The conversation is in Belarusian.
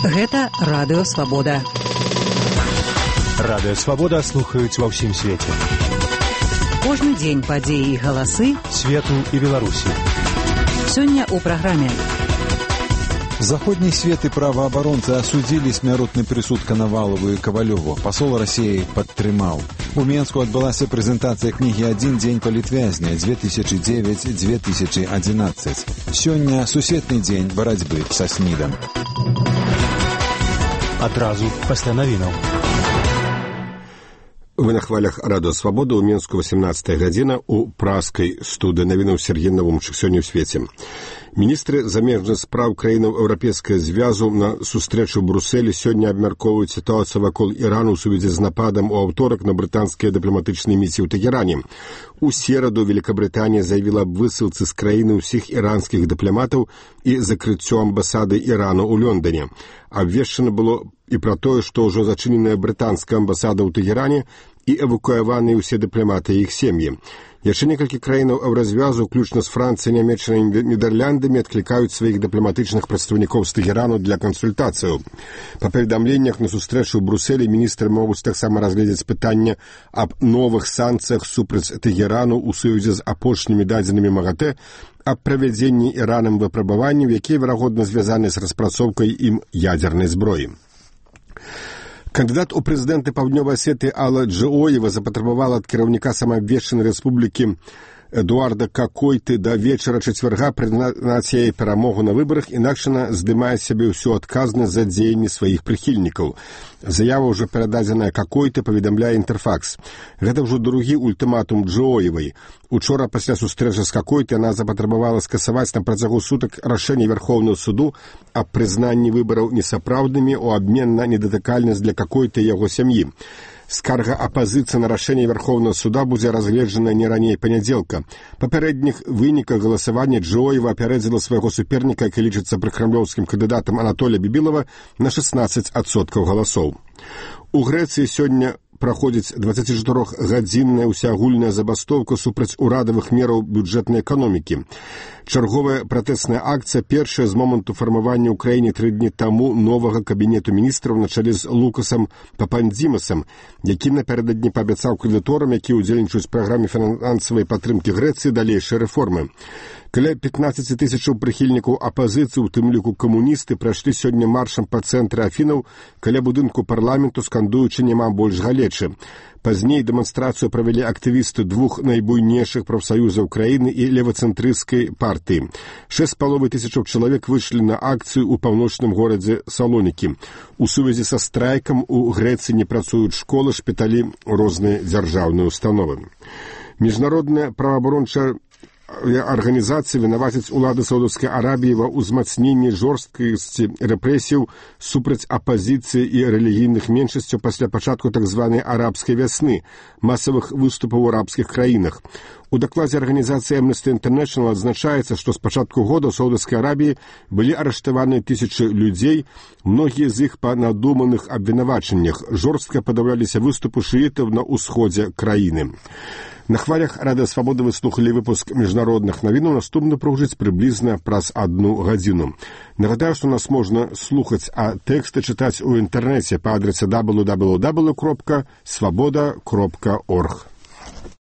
Гэта Радыё Свабода. Радыё Свабода слухаюць ва ўсім свеце. Кожны дзень падзеі і галасы свету і Беларусі. Сёння ў праграме. Заходний свет и правооборонцы осудили смяротны прысуд Коновалову и Ковалеву. Посол России падтрымаў. У Менску адбылася прэзентацыя кнігі «Один дзень палітвязня 2009-2011». Сёння сусветны дзень барацьбы са СНІДам. Адразу пасля навінаў. Вы на хвалях Радыё Свабода, у Менску 18 гадзіна, у праскай студыі навінаў Сергей Навумчык. Сёння ў свеце. Міністры замежных спраў краінаў Еўрапейскага звязу на сустрэчу ў Брусэлі сёння абмяркоўваюць сітуацыю вакол Ірану ў сувязі з нападам у аўторак на брытанскія дыпламатычныя місіі ў Тэгеране. У сераду Великабрытанія заявіла аб высылцы з краіны ўсіх іранскіх дыпламатаў і закрыццё амбасады Ірану ў Лондоне. Абвешчана было і пра тое, што ўжо зачыненая брытанская амбасада ў Тэгеране і эвакуяваныя ўсе дыпламаты і іх сем'і. Яшчэ некалькі краінаў еўразвязу, уключна з Францыяй, Нямецчынай і Нідерландамі, адклікаюць сваіх дыпламатычных прадстаўнікоў з Тэгерану для кансультацыяў. Па паведамленнях на сустрэчу ў Брусэлі міністры могуць таксама разгледзець пытанне аб новых санкцыях супраць Тэгерану ў сувязі з апошнімі дадзенымі МАГАТЭ, аб правядзенні Іранам выпрабаванняў, якія, верагодна, звязаны з распрацоўкай ім ядзернай зброі. Кандыдат у прэзідэнты Паўднёвай Асетыі Алла Джоева запатрабавала ад кіраўніка самаабвешчанай рэспублікі Эдуарда Какойты да вечара чацвярга прызнаць яе перамогу на выбарах, інакш яна здымае сябе ўсю адказнасць за дзеянні сваіх прыхільнікаў. Заява ўжо перададзеная Какойты, паведамляе Інтэрфакс. Гэта ўжо другі ультыматум Джоевай. Учора пасля сустрэчы з Какойты яна запатрабавала скасаваць на працягу сутак рашэнне Верхоўнага суду аб прызнанні выбараў несапраўднымі ў абмен на недатыкальнасць для Какойты і яго сям'і. Скарга апазіцыі на рашэнне Верхоўнага суда будзе разгледжана не раней панядзелка. Па папярэдніх выніках галасавання Джоева апярэдзіла свайго суперніка, які лічыцца пракрамлёўскім кандыдатам Анатолія Бібілава, на 16% галасоў. У Грэцыі сёння праходзіць 24-гадзінная ўсеагульная забастоўка супраць урадавых мераў бюджэтнай эканомікі. Чарговая пратэсная акцыя першая з моманту фармавання ў краіне 3 дні таму новага кабінету міністраў на чале з Лукасам Папандзімасам, які напярэдадні паабяцаў крэдыторам, якія ўдзельнічаюць у праграме фінансавай падтрымкі Грэцыі, далейшыя рэформы. Каля 15 тысячаў прыхільнікаў апазіцыі, у тым ліку камуністы, прайшлі сёння маршам па цэнтры Афінаў каля будынку парламенту, скандуючы «Няма больш галечы». Пазней дэманстрацыю правялі актывісты двух найбуйнейшых прафсаюзаў краіны і левацэнтрысцкай партыі. 6,5 тысячаў чалавек выйшлі на акцыю ў паўночным горадзе Салонікі. У сувязі са страйкам у Грэцыі не працуюць школы, шпіталі, розныя дзяржаўныя установы. Міжнародная праваабарончая арганізацыі вінавацяць улады Саудаўскай Арабіі ва ўзмацненні жорсткасці рэпрэсіяў супраць апазіцыі і рэлігійных меншасцяў пасля пачатку так званай арабскай вясны, масавых выступаў у арабскіх краінах. У дакладзе арганізацыі Amnesty International адзначаецца, што з пачатку года ў Саудаўскай Арабіі былі арыштаваны тысячы людзей, многія з іх па надуманых абвінавачаннях. Жорстка падаўляліся выступы шыітаў на ўсходзе краіны. На хвалях Радыё Свабода вы слухалі выпуск міжнародных навінаў, наступны прагучыць прыблізна праз 1 гадзіну. Нагадаю, што нас можна слухаць, а тэксты чытаць у інтэрнэце па адрасе www.swaboda.org.